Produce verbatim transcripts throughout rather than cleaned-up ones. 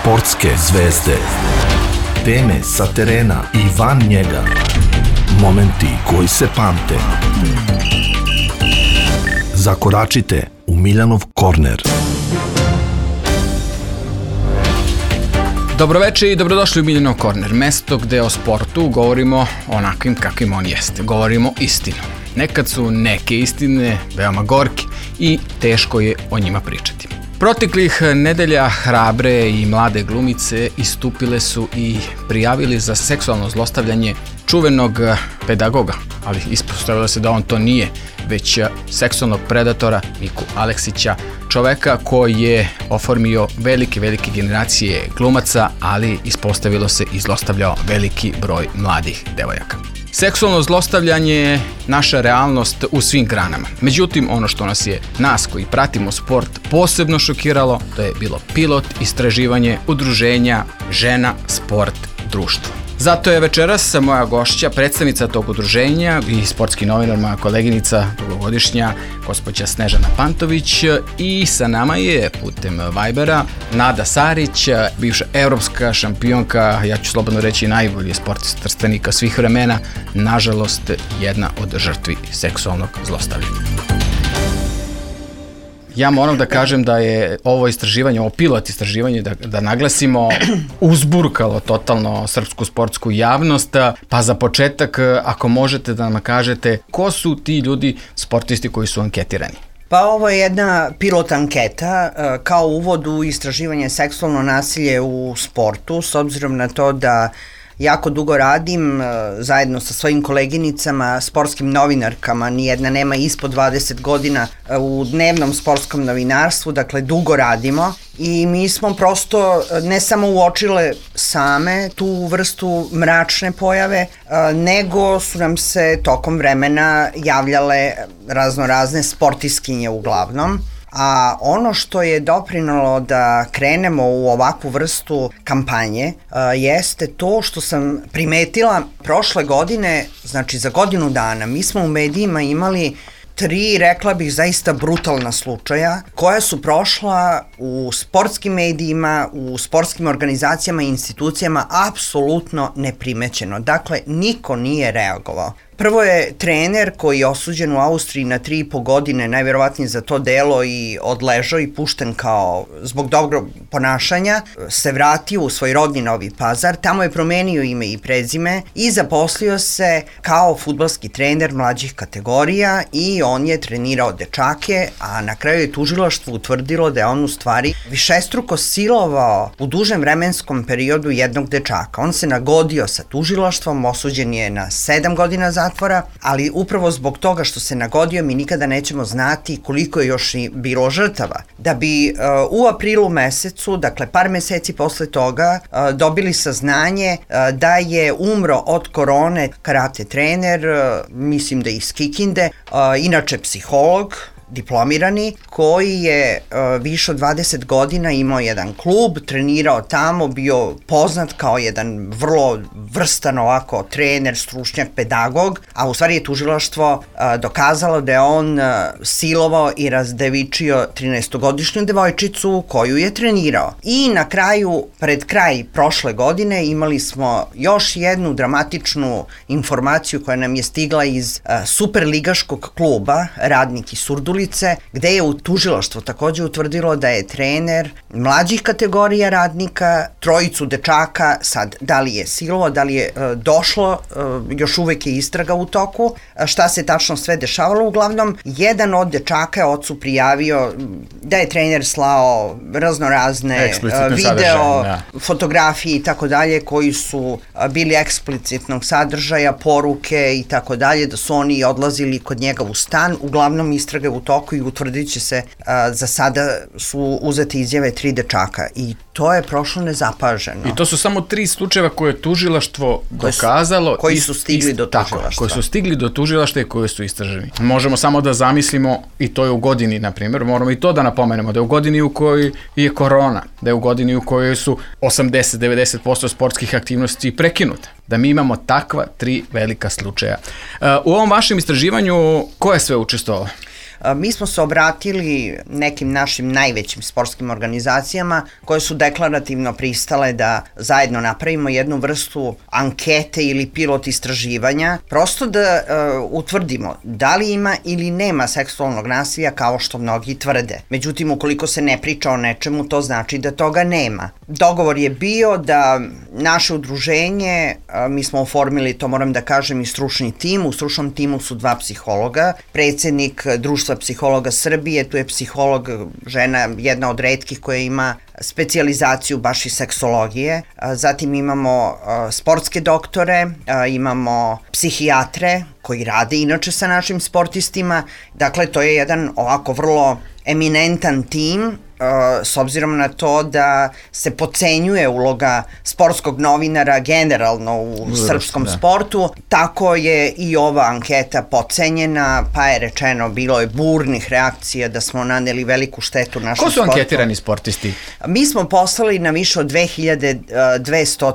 Sportske zvezde. Teme sa terena i van njega. Momenti koji se pamte. Zakoračite u Miljanov korner. Dobroveče i dobrodošli u Miljanov korner, mesto gde o sportu govorimo onakvim kakvim on jeste. Govorimo istinu. Nekad su neke istine veoma gorke i teško je o njima pričati. Proteklih nedelja hrabre i mlade glumice istupile su i prijavili za seksualno zlostavljanje čuvenog pedagoga, ali ispostavilo se da on to nije, već seksualnog predatora Miku Aleksića, čoveka koji je oformio velike, velike generacije glumaca, ali ispostavilo se i zlostavljao veliki broj mladih devojaka. Seksualno zlostavljanje je naša realnost u svim granama. Međutim, ono što nas je, nas koji pratimo sport, posebno šokiralo, to je bilo pilot istraživanje udruženja Žena, sport, društvo. Zato je večeras moja gošća, predstavnica tog udruženja i sportski novinar, moja koleginica dugogodišnja, gospođa Snežana Pantović, i sa nama je putem Vibera Nada Sarić, bivša evropska šampionka, ja ću slobodno reći najbolji sportista Trstenika svih vremena, nažalost jedna od žrtvi seksualnog zlostavljanja. Ja moram da kažem da je ovo istraživanje, ovo pilot istraživanje, da, da naglasimo, uzburkalo totalno srpsku sportsku javnost. Pa za početak, ako možete da nam kažete, ko su ti ljudi, sportisti koji su anketirani? Pa ovo je jedna pilot anketa kao uvod u istraživanje seksualno nasilje u sportu, s obzirom na to da jako dugo radim zajedno sa svojim koleginicama, sportskim novinarkama, nijedna nema ispod dvadeset godina u dnevnom sportskom novinarstvu, dakle dugo radimo i mi smo prosto ne samo uočile same tu vrstu mračne pojave, nego su nam se tokom vremena javljale razno razne sportiskinje uglavnom. A ono što je doprinalo da krenemo u ovakvu vrstu kampanje uh, jeste to što sam primetila prošle godine, znači za godinu dana, mi smo u medijima imali tri, rekla bih, zaista brutalna slučaja koja su prošla u sportskim medijima, u sportskim organizacijama i institucijama apsolutno neprimećeno. Dakle, niko nije reagovao. Prvo je trener koji je osuđen u Austriji na tri i po godine, najverovatnije za to delo, i odležao i pušten kao zbog dobrog ponašanja, se vratio u svoj rodni Novi Pazar, tamo je promenio ime i prezime i zaposlio se kao fudbalski trener mlađih kategorija i on je trenirao dečake, a na kraju je tužilaštvo utvrdilo da je on u stvari višestruko silovao u dužem vremenskom periodu jednog dečaka. On se nagodio sa tužilaštvom, osuđen je na sedam godina za zatvora, ali upravo zbog toga što se nagodio mi nikada nećemo znati koliko je još i bilo žrtava. Da bi uh, u aprilu mesecu, dakle par meseci posle toga, uh, dobili saznanje uh, da je umro od korone karate trener, uh, mislim da iz Kikinde, uh, inače psiholog, diplomirani, koji je uh, više od dvadeset godina imao jedan klub, trenirao tamo, bio poznat kao jedan vrlo vrstan ovako trener, stručnjak, pedagog, a u stvari je tužilaštvo uh, dokazalo da je on uh, silovao i razdevičio trinaestogodišnju devojčicu koju je trenirao. I na kraju, pred kraj prošle godine, imali smo još jednu dramatičnu informaciju koja nam je stigla iz uh, superligaškog kluba Radnik iz Surdulice, gde je u tužilaštvo takođe utvrdilo da je trener mlađih kategorija Radnika trojicu dečaka, sad da li je silovao, da li je e, došlo, e, još uvek je istraga u toku, e, šta se tačno sve dešavalo. Uglavnom, jedan od dečaka je ocu prijavio da je trener slao raznorazne e, video, da. fotografije i tako dalje, koji su a, bili eksplicitnog sadržaja, poruke i tako dalje, da su oni odlazili kod njega u stan. Uglavnom, istraga u toku i utvrdit će se, a, za sada su uzete izjave tri dečaka i to je prošlo nezapaženo. I to su samo tri slučajeva koje je tužilaštvo dokazalo. Koji su stigli do tužilaštva. Tako, koji su stigli do tužilaštva i koji su istraženi. Možemo samo da zamislimo, i to je u godini, na primjer, moramo i to da napomenemo, da je u godini u kojoj je korona, da je u godini u kojoj su osamdeset do devedeset posto sportskih aktivnosti prekinute. Da mi imamo takva tri velika slučaja. Uh, u ovom vašem istraživanju ko je sve učestvovao? Mi smo se obratili nekim našim najvećim sportskim organizacijama koje su deklarativno pristale da zajedno napravimo jednu vrstu ankete ili pilot istraživanja, prosto da uh, utvrdimo da li ima ili nema seksualnog nasilja kao što mnogi tvrde. Međutim, ukoliko se ne priča o nečemu, to znači da toga nema. Dogovor je bio da naše udruženje, uh, mi smo oformili, to moram da kažem, i stručni tim. U stručnom timu su dva psihologa, predsjednik Društva psihologa Srbije, tu je psiholog, žena, jedna od retkih koja ima specijalizaciju baš iz seksologije. Zatim imamo sportske doktore, imamo psihijatre koji rade inače sa našim sportistima. Dakle, to je jedan ovako vrlo eminentan tim, s obzirom na to da se podcenjuje uloga sportskog novinara generalno u Uzrast, srpskom da. sportu, tako je i ova anketa podcenjena, pa je rečeno, bilo je burnih reakcija da smo naneli veliku štetu našem sportu. Ko su sportu. Anketirani sportisti? Mi smo poslali na više od dve hiljade dvesta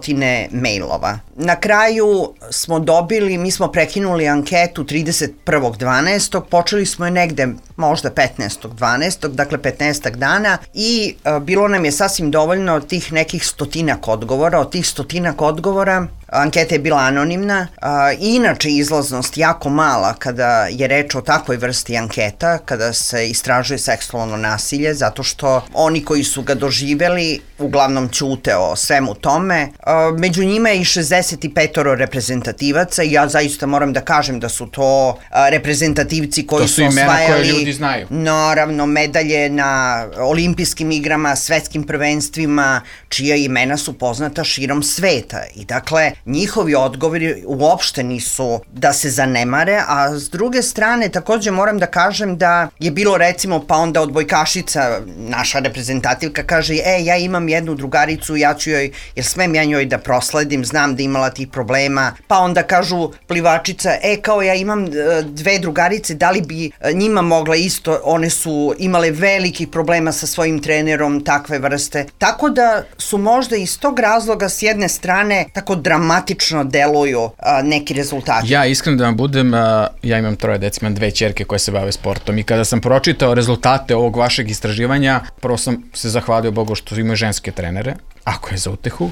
mailova. Na kraju smo dobili, mi smo prekinuli anketu trideset prvog dvanaestog počeli smo je negde možda petnaestog dvanaestog dakle petnaestak dana i a, bilo nam je sasvim dovoljno tih nekih stotinak odgovora. Od tih stotinak odgovora anketa je bila anonimna, a, inače izlaznost jako mala kada je reč o takvoj vrsti anketa, kada se istražuje seksualno nasilje, zato što oni koji su ga doživeli uglavnom ćute o svemu tome. A, među njima je i šezdeset pet reprezentativaca i ja zaista moram da kažem da su to a, reprezentativci koji su, su osvajali koje ljudi znaju. Naravno medalje na olimpijskim igrama, svetskim prvenstvima, čija imena su poznata širom sveta. I dakle, njihovi odgovori uopšte nisu da se zanemare, a s druge strane takođe moram da kažem da je bilo recimo pa onda odbojkašica, naša reprezentativka kaže, e, ja imam jednu drugaricu, ja ću joj, jer smem ja njoj da prosledim, znam da imala tih problema, pa onda kažu plivačica, e, kao ja imam dve drugarice, da li bi njima mogla isto, one su imale velikih problema sa svojim trenerom takve vrste, tako da su možda iz tog razloga s jedne strane tako dramatično deluju a, neki rezultati. Ja iskreno da vam budem, a, ja imam troje dece, imam dve ćerke koje se bave sportom i kada sam pročitao rezultate ovog vašeg istraživanja, prvo sam se zahvalio Bogu što imaju ženske trenere, ako je za utehu,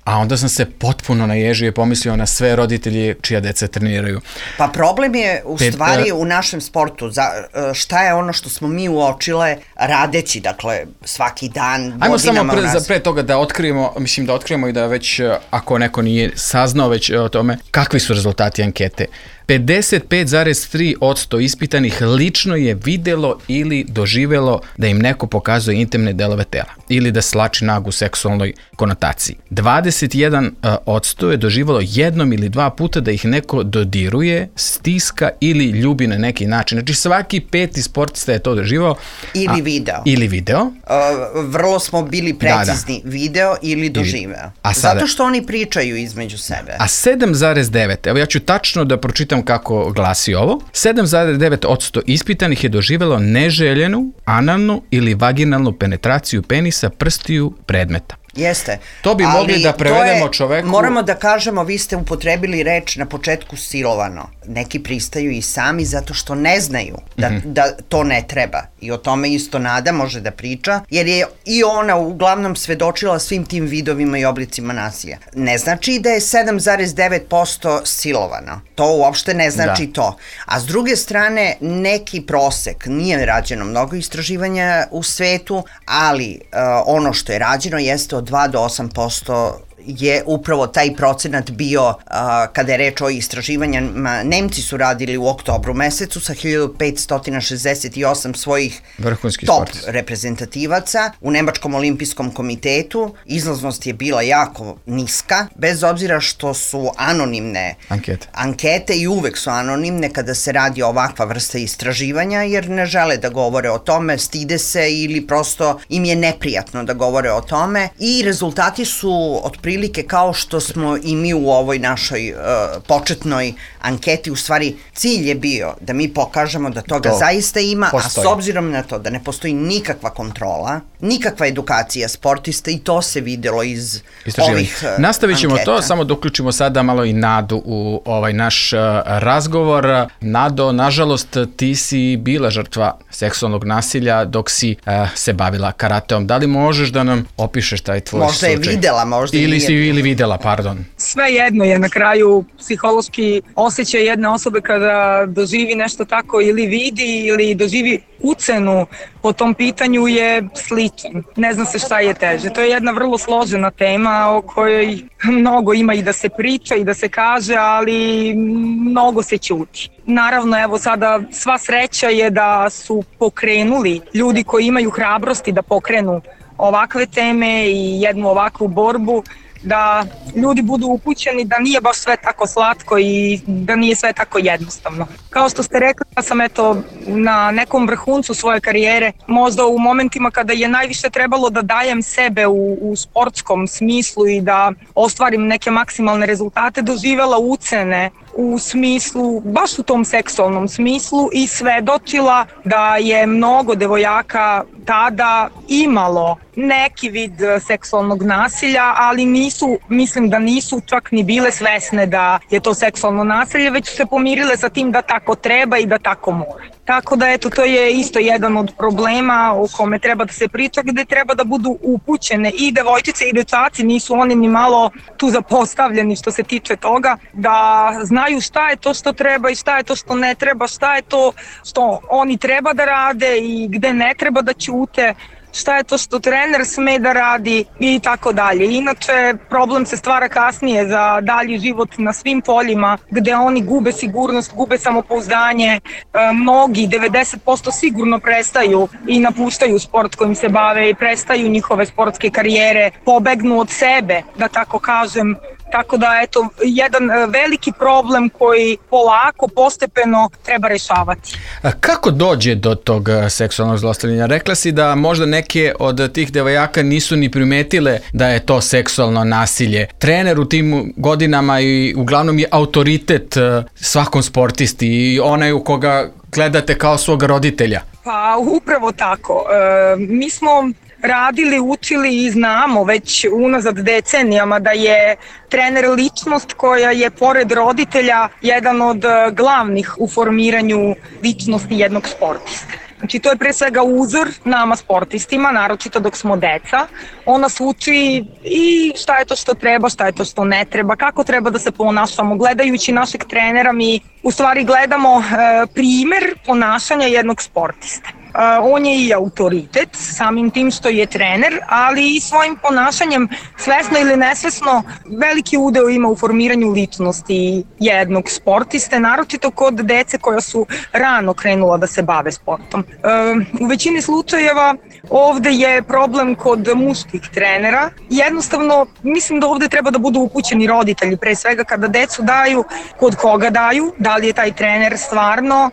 a onda sam se potpuno naježio i pomislio na sve roditelji čija deca treniraju. Pa problem je u Pet, stvari u našem sportu. Za, šta je ono što smo mi uočile radeći, dakle, svaki dan, godinama. Ajmo samo pre, za, pre toga da otkrijemo, mislim da otkrijemo i da već, ako neko nije saznao već o tome, kakvi su rezultati ankete. pedeset pet zarez tri posto ispitanih lično je videlo ili doživelo da im neko pokazuje intimne delove tela ili da slači nagu u seksualnoj konotaciji. dvadeset jedan posto je doživelo jednom ili dva puta da ih neko dodiruje, stiska ili ljubi na neki način. Znači svaki peti sportista je to doživao. Ili video. A, ili video. Uh, vrlo smo bili precizni. Da, da. Video ili doživeo. A sada, zato što oni pričaju između sebe. A sedam zarez devet, evo ja ću tačno da pročitam kako glasi ovo. sedam zarez devet posto ispitanih je doživelo neželjenu, analnu ili vaginalnu penetraciju penisa, prstiju, predmeta. Jeste. To bi ali mogli da prevedemo je, čoveku. Moramo da kažemo, vi ste upotrebili reč na početku silovano. Neki pristaju i sami zato što ne znaju da, mm-hmm. da to ne treba. I o tome isto Nada može da priča, jer je i ona uglavnom svedočila svim tim vidovima i oblicima nasilja. Ne znači da je sedam zarez devet posto silovano. To uopšte ne znači da. to. A s druge strane, neki prosek, nije rađeno mnogo istraživanja u svetu, ali uh, ono što je rađeno jeste od dva do osam posto je upravo taj procenat bio a, kada je reč o istraživanjima. Nemci su radili u oktobru mesecu sa hiljadu petsto šezdeset osam svojih vrhunski top sportis. reprezentativaca u Nemačkom olimpijskom komitetu. Izlaznost je bila jako niska, bez obzira što su anonimne ankete, ankete i uvek su anonimne kada se radi o ovakva vrsta istraživanja, jer ne žele da govore o tome, stide se ili prosto im je neprijatno da govore o tome i rezultati su otprilike kao što smo i mi u ovoj našoj uh, početnoj anketi, u stvari cilj je bio da mi pokažemo da toga to zaista ima, postoji. A s obzirom na to da ne postoji nikakva kontrola, nikakva edukacija sportista i to se videlo iz ovih uh, Nastavit ćemo anketa. to, samo da uključimo sada malo i Nadu u ovaj naš uh, razgovor. Nado, nažalost, ti si bila žrtva seksualnog nasilja dok si uh, se bavila karateom. Da li možeš da nam opišeš taj tvoj možda slučaj? Možda je videla, možda ili nije. si ili videla, pardon. Sve jedno je na kraju psihološki osjećaj jedne osobe kada doživi nešto tako ili vidi ili doživi ucenu po tom pitanju je sličan. Ne zna se šta je teže. To je jedna vrlo složena tema o kojoj mnogo ima i da se priča i da se kaže, ali mnogo se ćuti. Naravno, evo sada sva sreća je da su pokrenuli ljudi koji imaju hrabrosti da pokrenu ovakve teme i jednu ovakvu borbu, da ljudi budu upućeni da nije baš sve tako slatko i da nije sve tako jednostavno. Kao što ste rekli, ja sam eto na nekom vrhuncu svoje karijere, možda u momentima kada je najviše trebalo da dajem sebe u, u sportskom smislu i da ostvarim neke maksimalne rezultate, doživela ucene u smislu, baš u tom seksualnom smislu i svedočila da je mnogo devojaka tada imalo neki vid seksualnog nasilja, ali nisu, mislim da nisu čak ni bile svesne da je to seksualno nasilje, već su se pomirile sa tim da tako treba i da tako mora. Tako da eto, to je isto jedan od problema o kome treba da se priča, gde treba da budu upućene i devojčice i dečaci, nisu oni ni malo tu zapostavljeni što se tiče toga, da znaju šta je to što treba i šta je to što ne treba, šta je to što oni treba da rade i gde ne treba da ćute, šta je to što trener sme da radi i tako dalje. Inače, problem se stvara kasnije za dalji život na svim poljima gde oni gube sigurnost, gube samopouzdanje, e, mnogi, devedeset posto sigurno prestaju i napuštaju sport kojim se bave i prestaju njihove sportske karijere, pobegnu od sebe, da tako kažem. Tako da, eto, jedan veliki problem koji polako, postepeno treba rešavati. A kako dođe do tog seksualnog zlostavljanja? Rekla si da možda neke od tih devojaka nisu ni primetile da je to seksualno nasilje. Trener u tim godinama i uglavnom je autoritet svakom sportisti i onaj u koga gledate kao svog roditelja. Pa upravo tako. E, mi smo radili, učili i znamo već unazad decenijama da je trener ličnost koja je pored roditelja jedan od glavnih u formiranju ličnosti jednog sportiste. Znači to je pre svega uzor nama sportistima, naročito dok smo deca. On nas uči i šta je to što treba, šta je to što ne treba, kako treba da se ponašamo. Gledajući našeg trenera mi u stvari gledamo e, primer ponašanja jednog sportiste. Uh, on je i autoritet, samim tim što je trener, ali i svojim ponašanjem, svesno ili nesvesno, veliki udeo ima u formiranju ličnosti jednog sportiste, naročito kod dece koja su rano krenula da se bave sportom. Uh, u većini slučajeva ovde je problem kod muških trenera. Jednostavno, mislim da ovde treba da budu upućeni roditelji, pre svega kada decu daju, kod koga daju, da li je taj trener stvarno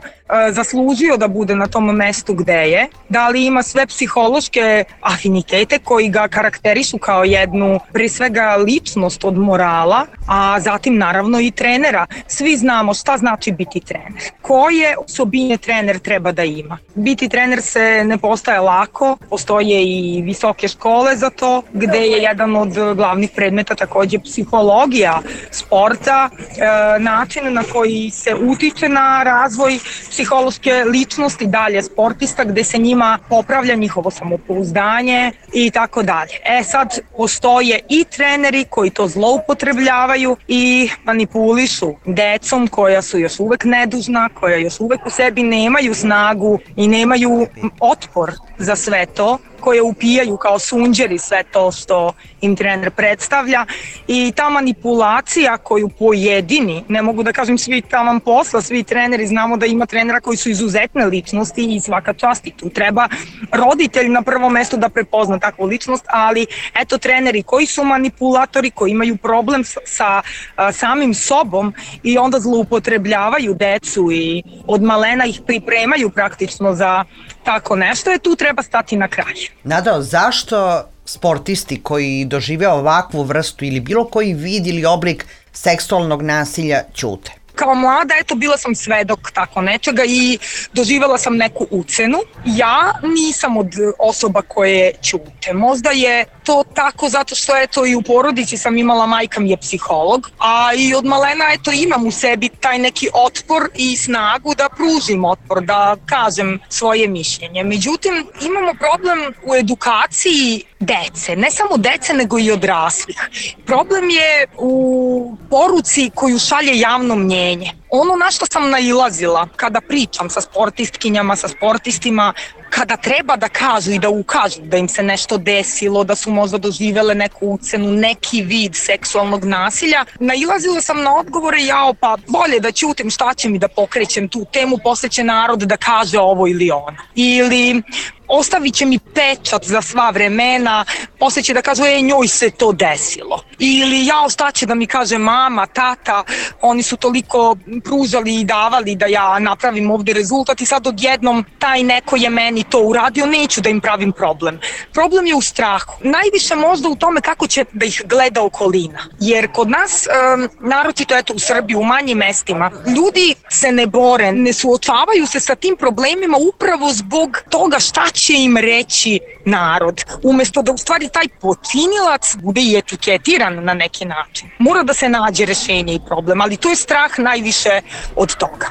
zaslužio da bude na tom mestu gde je, da li ima sve psihološke afinitete koji ga karakterišu kao jednu, pre svega, ličnost od morala, a zatim naravno i trenera. Svi znamo šta znači biti trener. Koje osobine trener treba da ima? Biti trener se ne postaje lako, postoje i visoke škole za to, gde je jedan od glavnih predmeta takođe psihologija sporta, e, način na koji se utiče na razvoj psihološke ličnosti dalje sportista, gde se njima popravlja njihovo samopouzdanje i tako dalje. E sad, postoje i treneri koji to zloupotrebljavaju i manipulišu decom koja su još uvek nedužna, koja još uvek u sebi nemaju snagu i nemaju otpor za sve to, koje upijaju kao sunđeri sve to što im trener predstavlja i ta manipulacija koju pojedini, ne mogu da kažem svi taman posla, svi treneri, znamo da ima trenera koji su izuzetne ličnosti i svaka čast i tu treba roditelj na prvom mestu da prepozna takvu ličnost, ali eto treneri koji su manipulatori, koji imaju problem sa, sa a, samim sobom i onda zloupotrebljavaju decu i od malena ih pripremaju praktično za tako nešto, je tu treba stati na kraj. Nado, zašto sportisti koji dožive ovakvu vrstu ili bilo koji vid ili oblik seksualnog nasilja ćute? kao mlada, eto, bila sam svedok tako nečega i doživjela sam neku ucenu. Ja nisam od osoba koje ćute. Možda je to tako zato što, eto, i u porodici sam imala, majka mi je psiholog, a i od malena, eto, imam u sebi taj neki otpor i snagu da pružim otpor, da kažem svoje mišljenje. Međutim, imamo problem u edukaciji dece, ne samo dece nego i odraslih. Problem je u poruci koju šalje javno mnjenje. Ono na što sam nailazila kada pričam sa sportistkinjama, sa sportistima, kada treba da kažu i da ukažu da im se nešto desilo, da su možda doživele neku ucenu, neki vid seksualnog nasilja, nailazila sam na odgovore, jao, pa bolje da ćutim, šta će mi da pokrećem tu temu, posle će narod da kaže ovo ili ono. Ili ostavit će mi pečat za sva vremena, posle će da kažu, e, njoj se to desilo. Ili jao, šta će da mi kaže mama, tata, oni su toliko pružali i davali da ja napravim ovde rezultat i sad odjednom taj neko je meni to uradio, neću da im pravim problem. Problem je u strahu. Najviše možda u tome kako će da ih gleda okolina. Jer kod nas, um, naročito eto u Srbiji, u manjim mestima, ljudi se ne bore, ne suočavaju se sa tim problemima upravo zbog toga šta će im reći narod. Umesto da u stvari taj počinilac bude i etiketiran na neki način. Mora da se nađe rešenje i problem, ali to je strah najviše od toga.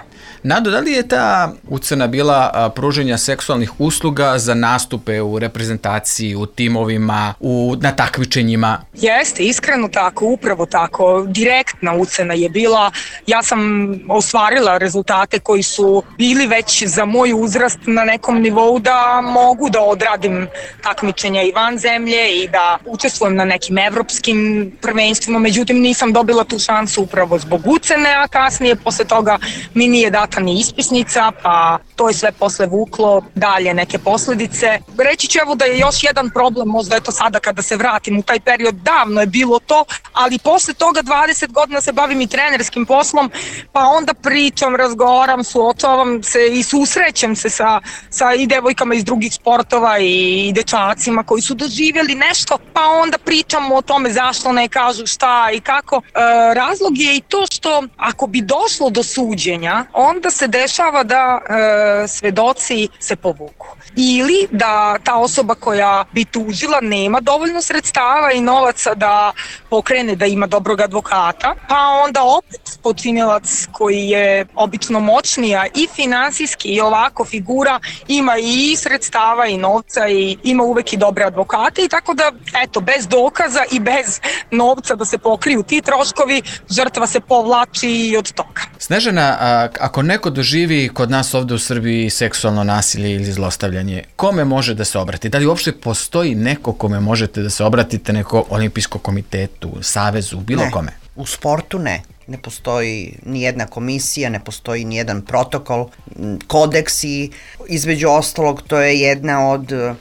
Nado, da li je ta ucena bila pruženja seksualnih usluga za nastupe u reprezentaciji, u timovima, u, na takmičenjima? Jeste, iskreno tako, upravo tako. Direktna ucena je bila. Ja sam ostvarila rezultate koji su bili već za moj uzrast na nekom nivou da mogu da odradim takmičenja i van zemlje i da učestvujem na nekim evropskim prvenstvima, međutim nisam dobila tu šansu upravo zbog ucene, a kasnije posle toga mi nije data ni ispisnica, pa to je sve posle vuklo dalje neke posledice. Reći ću evo da je još jedan problem, možda je to sada kada se vratim u taj period, davno je bilo to, ali posle toga dvadeset godina se bavim i trenerskim poslom, pa onda pričam, razgovaram, suočavam se i susrećem se sa, sa i devojkama iz drugih sportova i, i dečacima koji su doživjeli nešto, pa onda pričamo o tome zašto ne kažu šta i kako. E, razlog je i to što ako bi došlo do suđenja, onda se dešava da e, svedoci se povuku. Ili da ta osoba koja bi tužila nema dovoljno sredstava i novaca da pokrene, da ima dobrog advokata, pa onda opet počinilac koji je obično moćnija i finansijski i ovako figura ima i sredstava i novca i ima uvek i dobre advokate i tako da, eto, bez dokaza i bez novca da se pokriju ti troškovi, žrtva se povlači i od toga. Snežana, a, ako neko doživi kod nas ovde u Srbiji seksualno nasilje ili zlostavljanje, kome može da se obrati? Da li uopšte postoji neko kome možete da se obratite, neko olimpijskom komitetu, savezu, bilo ne, kome? U sportu ne. Ne postoji ni jedna komisija, ne postoji ni jedan protokol, kodeksi. Između ostalog, to je jedna od uh,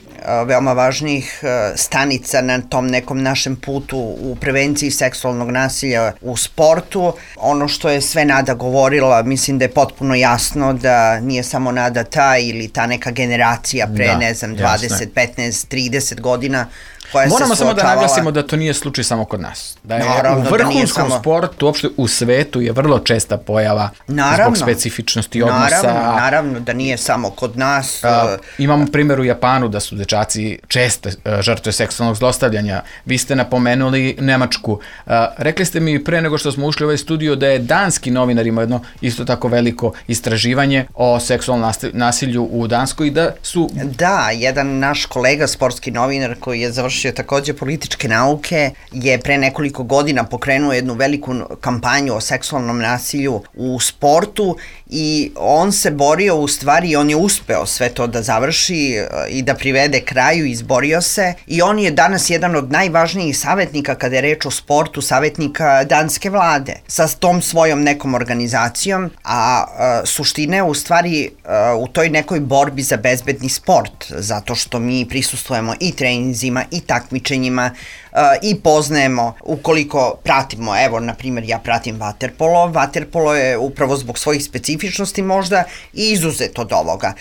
veoma važnijih uh, stanica na tom nekom našem putu u prevenciji seksualnog nasilja u sportu. Ono što je sve Nada govorila, mislim da je potpuno jasno da nije samo Nada ta ili ta neka generacija pre, da, ne znam, dvadeset, petnaest, trideset godina koja Moramo se samo da suočavala. naglasimo da to nije slučaj samo kod nas. Da je Naravno, u vrhunskom samo... sportu, uopšte u svetu je vrlo česta pojava naravno, zbog specifičnosti odnosa. Naravno, naravno da nije samo kod nas. A, imamo primjer u Japanu da su dečaci česte žrtve seksualnog zlostavljanja. Vi ste napomenuli Nemačku. A, rekli ste mi pre nego što smo ušli u ovaj studio da je danski novinar imao jedno isto tako veliko istraživanje o seksualnom nasilju u Danskoj i da su... Da, jedan naš kolega, sportski novinar koji je završio takođe političke nauke, je pre nekoliko godina pokrenuo jednu veliku kampanju o seksualnom nasilju u sportu i on se borio, u stvari on je uspeo sve to da završi i da privede kraju, izborio se i on je danas jedan od najvažnijih savjetnika kada je reč o sportu, savjetnika danske vlade sa tom svojom nekom organizacijom, a, a suština je u stvari a, u toj nekoj borbi za bezbedni sport, zato što mi prisustvujemo i treninzima i takmičenjima uh, i poznajemo, ukoliko pratimo, evo, na primjer, ja pratim vaterpolo, vaterpolo je upravo zbog svojih specifičnosti možda i izuzet od ovoga,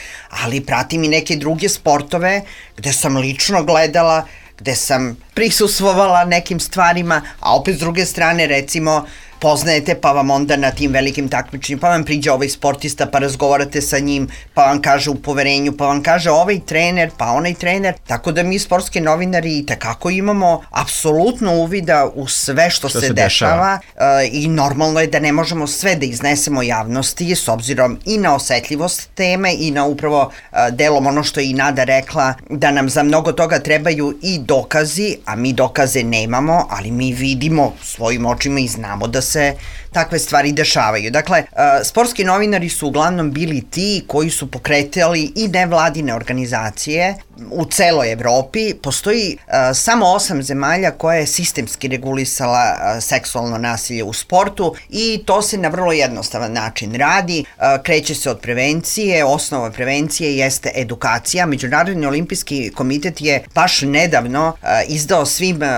ali pratim i neke druge sportove gde sam lično gledala, gde sam prisustvovala nekim stvarima, a opet s druge strane, recimo, poznajete, pa vam onda na tim velikim takmičenjima, pa vam priđe ovaj sportista, pa razgovarate sa njim, pa vam kaže u poverenju, pa vam kaže ovaj trener, pa onaj trener, tako da mi sportski novinari i tekako imamo apsolutno uvida u sve što, što se, se dešava, dešava. I normalno je da ne možemo sve da iznesemo javnosti s obzirom i na osetljivost teme i na upravo delom ono što je i Nada rekla, da nam za mnogo toga trebaju i dokazi, a mi dokaze nemamo, ali mi vidimo svojim očima i znamo da se takve stvari dešavaju. Dakle, sportski novinari su uglavnom bili ti koji su pokretali i nevladine organizacije u celoj Evropi. Postoji uh, samo osam zemalja koja je sistemski regulisala uh, seksualno nasilje u sportu i to se na vrlo jednostavan način radi. Uh, kreće se od prevencije, osnova prevencije jeste edukacija. Međunarodni olimpijski komitet je baš nedavno uh, izdao svim uh,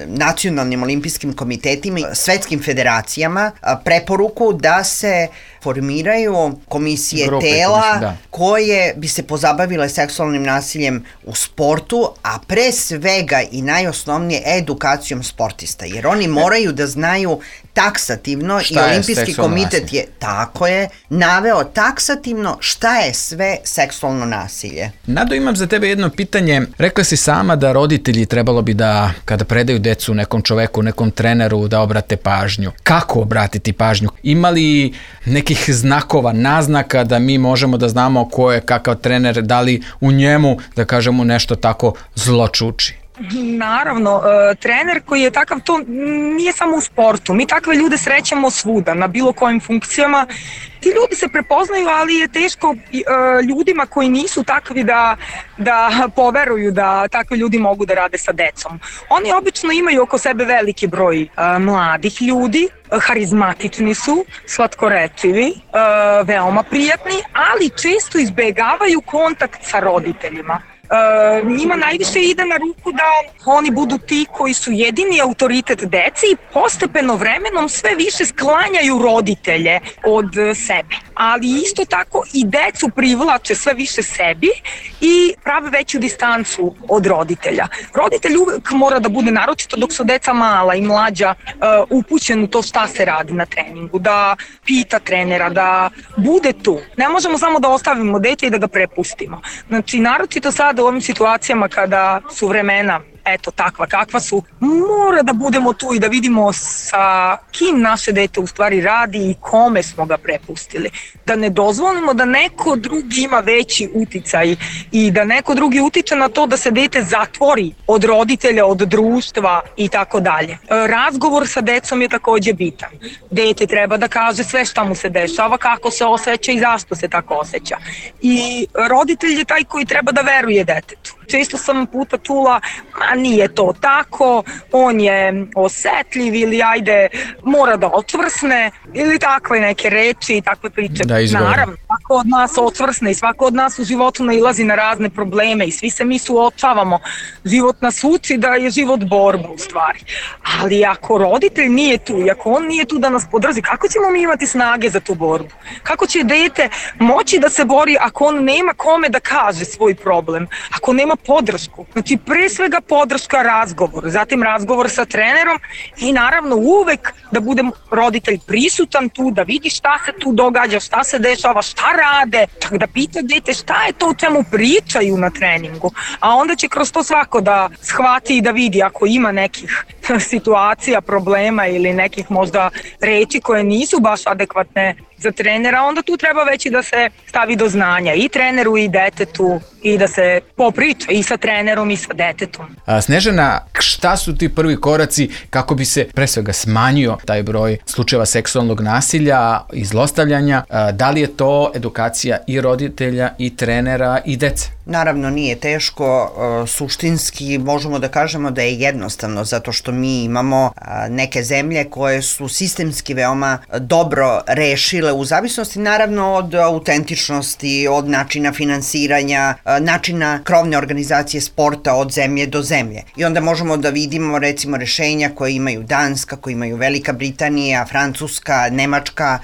nacionalnim olimpijskim komitetima, svetskim federacijama uh, preporuku da se formiraju komisije Grupe, tela komisije, da. koje bi se pozabavile seksualnim nasiljem u sportu, a pre svega i najosnovnije edukacijom sportista, jer oni moraju da znaju taksativno šta i olimpijski komitet nasilje? je, tako je, naveo taksativno šta je sve seksualno nasilje. Nado, imam za tebe jedno pitanje. Rekla si sama da roditelji trebalo bi da, kada predaju decu nekom čoveku, nekom treneru, da obrate pažnju. Kako obratiti pažnju? Ima li nekih znakova, naznaka da mi možemo da znamo ko je kakav trener, da li u njemu, da kažemo, nešto tako zločuči? Naravno, trener koji je takav, to nije samo u sportu, mi takve ljude srećemo svuda, na bilo kojim funkcijama. Ti ljudi se prepoznaju, ali je teško ljudima koji nisu takvi da, da poveruju da takvi ljudi mogu da rade sa decom. Oni obično imaju oko sebe veliki broj mladih ljudi, harizmatični su, slatkorečivi, veoma prijatni, ali često izbegavaju kontakt sa roditeljima. Uh, njima najviše ide na ruku da oni budu ti koji su jedini autoritet deci i postepeno vremenom sve više sklanjaju roditelje od sebe. Ali isto tako i decu privlače sve više sebi i prave veću distancu od roditelja. Roditelj uvek mora da bude, naročito dok su deca mala i mlađa, uh, upućen u to šta se radi na treningu, da pita trenera, da bude tu. Ne možemo samo da ostavimo dete i da ga prepustimo. Znači, naročito sad u ovim situacijama kada su vremena eto takva kakva su, mora da budemo tu i da vidimo sa kim naše dete u stvari radi i kome smo ga prepustili. Da ne dozvolimo da neko drugi ima veći uticaj i da neko drugi utiče na to da se dete zatvori od roditelja, od društva i tako dalje. Razgovor sa decom je takođe bitan. Dete treba da kaže sve šta mu se dešava, kako se osjeća i zašto se tako osjeća. I roditelj je taj koji treba da veruje detetu. Često sam puta čula, ma nije to tako, on je osetljiv ili ajde mora da očvrsne ili takve neke reči i takve priče. Da, naravno, svako od nas očvrsne i svako od nas u životu nailazi na razne probleme i svi se mi suočavamo. Život nas uči da je život borba u stvari. Ali ako roditelj nije tu i ako on nije tu da nas podrži, kako ćemo mi imati snage za tu borbu? Kako će dete moći da se bori ako on nema kome da kaže svoj problem? Ako nema podršku. Znači, pre svega podrška, razgovor, zatim razgovor sa trenerom i naravno uvek da bude roditelj prisutan tu, da vidi šta se tu događa, šta se dešava, šta rade, čak da pita dete šta je to o čemu pričaju na treningu, a onda će kroz to svako da shvati i da vidi ako ima nekih situacija, problema ili nekih možda reči koje nisu baš adekvatne za trenera, onda tu treba već i da se stavi do znanja i treneru i detetu i da se popriča i sa trenerom i sa detetom. A, Snežana, šta su ti prvi koraci kako bi se pre svega smanjio taj broj slučajeva seksualnog nasilja i zlostavljanja? A, da li je to edukacija i roditelja i trenera i dece? Naravno nije teško, suštinski možemo da kažemo da je jednostavno zato što mi imamo neke zemlje koje su sistemski veoma dobro rešile u zavisnosti naravno od autentičnosti, od načina finansiranja, načina krovne organizacije sporta od zemlje do zemlje. I onda možemo da vidimo recimo rešenja koje imaju Danska, koje imaju Velika Britanija, Francuska, Nemačka,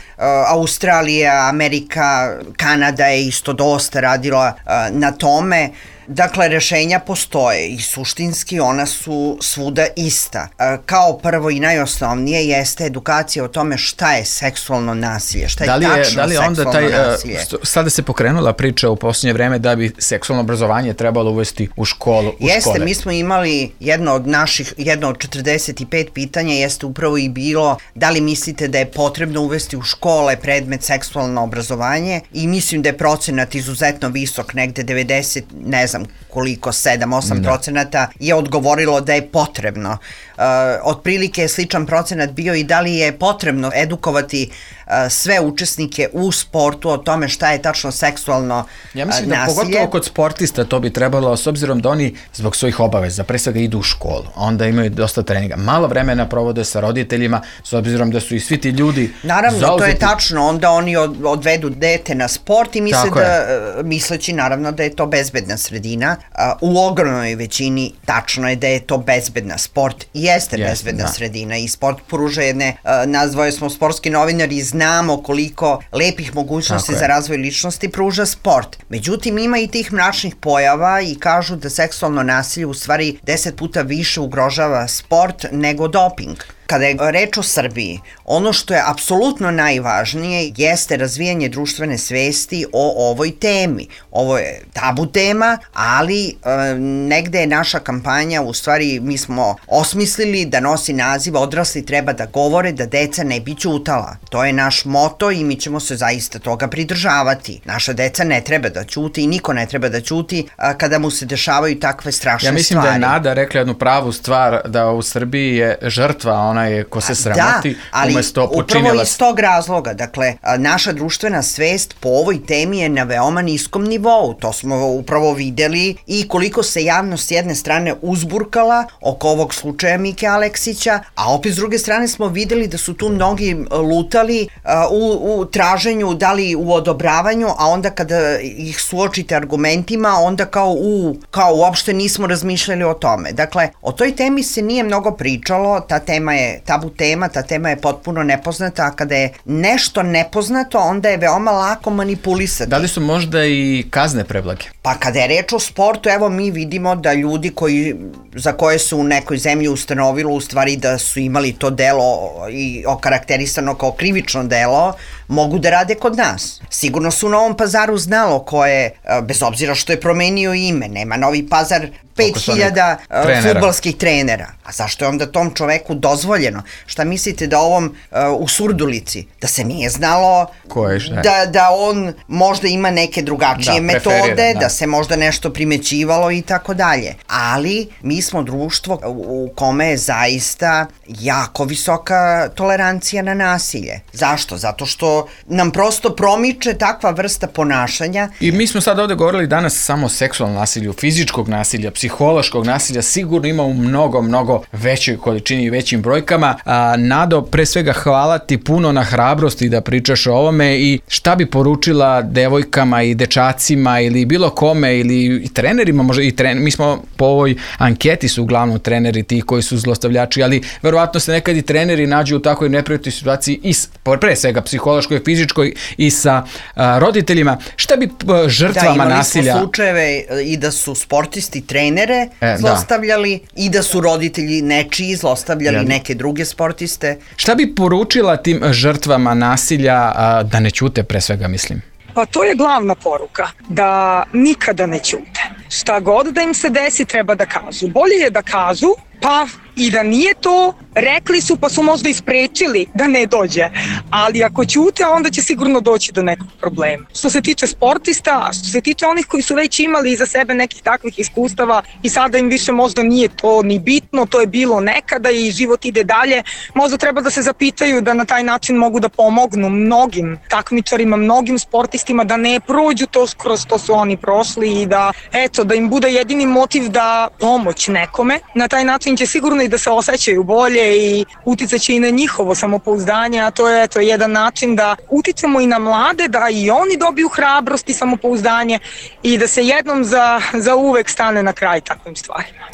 Australija, Amerika, Kanada je isto dosta radila na tom. Tome, Dakle, rešenja postoje i suštinski ona su svuda ista. Kao prvo i najosnovnije jeste edukacija o tome šta je seksualno nasilje, šta je, da li je tačno da li je onda seksualno taj, nasilje. Sada se pokrenula priča u posljednje vreme da bi seksualno obrazovanje trebalo uvesti u školu. U jeste, škole. Mi smo imali jedno od naših, jedno od četrdeset pet pitanja jeste upravo i bilo da li mislite da je potrebno uvesti u škole predmet seksualno obrazovanje i mislim da je procenat izuzetno visok, negde devedeset, ne znam koliko, sedam osam procenata je odgovorilo da je potrebno. Uh, otprilike je sličan procenat bio i da li je potrebno edukovati uh, sve učesnike u sportu o tome šta je tačno seksualno nasilje. Ja mislim da pogotovo kod sportista to bi trebalo, s obzirom da oni zbog svojih obaveza pre svega idu u školu, onda imaju dosta treninga, malo vremena provode sa roditeljima, s obzirom da su i svi ti ljudi naravno, zauzeti. To je tačno, onda oni od, odvedu dete na sport i misle da, je. misleći naravno da je to bezbedna sredina. U ogromnoj većini tačno je da je to bezbedna sport i jeste yes, bezbedna da. sredina i sport pruža jedne, nazvali smo sportski novinari, znamo koliko lepih mogućnosti Tako za je. razvoj ličnosti pruža sport. Međutim, ima i tih mračnih pojava i kažu da seksualno nasilje u stvari deset puta više ugrožava sport nego doping. Kada je reč o Srbiji, ono što je apsolutno najvažnije jeste razvijanje društvene svesti o ovoj temi. Ovo je tabu tema, ali e, negde je naša kampanja, u stvari mi smo osmislili da nosi naziv Odrasli treba da govore da deca ne bi ćutala. To je naš moto i mi ćemo se zaista toga pridržavati. Naša deca ne treba da ćuti i niko ne treba da ćuti a, kada mu se dešavaju takve strašne stvari. Ja mislim stvari. da je Nada rekla jednu pravu stvar, da u Srbiji je žrtva onaj ko se sramoti, da, ali umesto počinjela... upravo iz tog razloga, dakle, naša društvena svest po ovoj temi je na veoma niskom nivou, to smo upravo videli i koliko se javnost s jedne strane uzburkala oko ovog slučaja Mike Aleksića, a opet s druge strane smo videli da su tu mnogi lutali uh, u, u traženju, da li u odobravanju, a onda kada ih suočite argumentima, onda kao u, kao uopšte nismo razmišljali o tome. Dakle, o toj temi se nije mnogo pričalo, ta tema je tabu tema, ta tema je potpuno nepoznata, a kada je nešto nepoznato, onda je veoma lako manipulisati. Da li su možda i kazne preblage? Pa kada je reč o sportu, evo mi vidimo da ljudi koji, za koje su u nekoj zemlji ustanovilo u stvari da su imali to delo i okarakterisano kao krivično delo, mogu da rade kod nas. Sigurno su u Novom Pazaru znalo ko je, bez obzira što je promenio ime, nema Novi Pazar pet hiljada fudbalskih trenera. A zašto je onda tom čoveku dozvoljeno? Šta mislite da ovom uh, u Surdulici, da se nije znalo je, da, da on možda ima neke drugačije da, metode, da. da se možda nešto primećivalo i tako dalje. Ali mi smo društvo u kome je zaista jako visoka tolerancija na nasilje. Zašto? Zato što nam prosto promiče takva vrsta ponašanja. I mi smo sad ovde govorili danas samo o seksualnom nasilju, fizičkog nasilja, psihološkog nasilja, sigurno ima u mnogo, mnogo većoj količini i većim brojkama. A, Nado, pre svega hvala ti puno na hrabrosti da pričaš o ovome i šta bi poručila devojkama i dečacima ili bilo kome ili i trenerima, možda i trener, mi smo po ovoj anketi su uglavnom treneri ti koji su zlostavljači, ali verovatno se nekad i treneri nađu u takvoj neprijatnoj situaciji i pre svega psihološkoj, fizičkoj i sa a, roditeljima. Šta bi a, žrtvama da, nasilja... Da, imali smo slučajeve i da su sportisti trenere e, zlostavljali da. i da su roditelji nečiji zlostavljali ja. neke druge sportiste. Šta bi poručila tim žrtvama nasilja a, da ne ćute, pre svega mislim? Pa to je glavna poruka, da nikada ne ćute. Šta god da im se desi treba da kažu. Bolje je da kažu, pa i da nije to, rekli su pa su možda isprečili da ne dođe, ali ako ćute onda će sigurno doći do nekog problema. Što se tiče sportista, što se tiče onih koji su već imali iza sebe nekih takvih iskustava i sada im više možda nije to ni bitno, to je bilo nekada i život ide dalje, možda treba da se zapitaju da na taj način mogu da pomognu mnogim takmičarima, mnogim sportistima da ne prođu to kroz što su oni prošli i da, eto, da im bude jedini motiv da pomoć nekome. Na taj način će sigurno i da se osjećaju bolje i uticaće i na njihovo samopouzdanje, a to je eto jedan način da utičemo i na mlade, da i oni dobiju hrabrost i samopouzdanje i da se jednom za, za uvek stane na kraj takvim stvarima.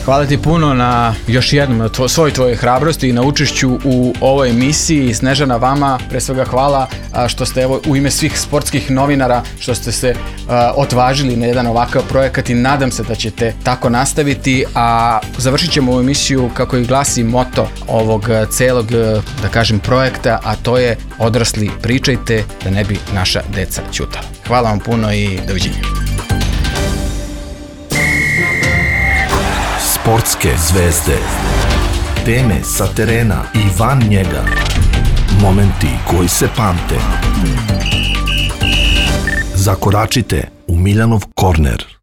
Hvala ti puno na još jednom, na tvo, svoj tvojoj hrabrosti i na učešću u ovoj emisiji. Snežana, vama pre svega hvala što ste evo u ime svih sportskih novinara što ste se uh, otvažili na jedan ovakav projekat i nadam se da ćete tako nastaviti, a završit ćemo ovu emisiju kako i glasi moto ovog celog, da kažem, projekta, a to je odrasli pričajte da ne bi naša deca ćutala. Hvala vam puno i doviđenja. Sportske zvezde, teme sa terena i van njega, momenti koji se pamte. Zakoračite u Miljanov korner.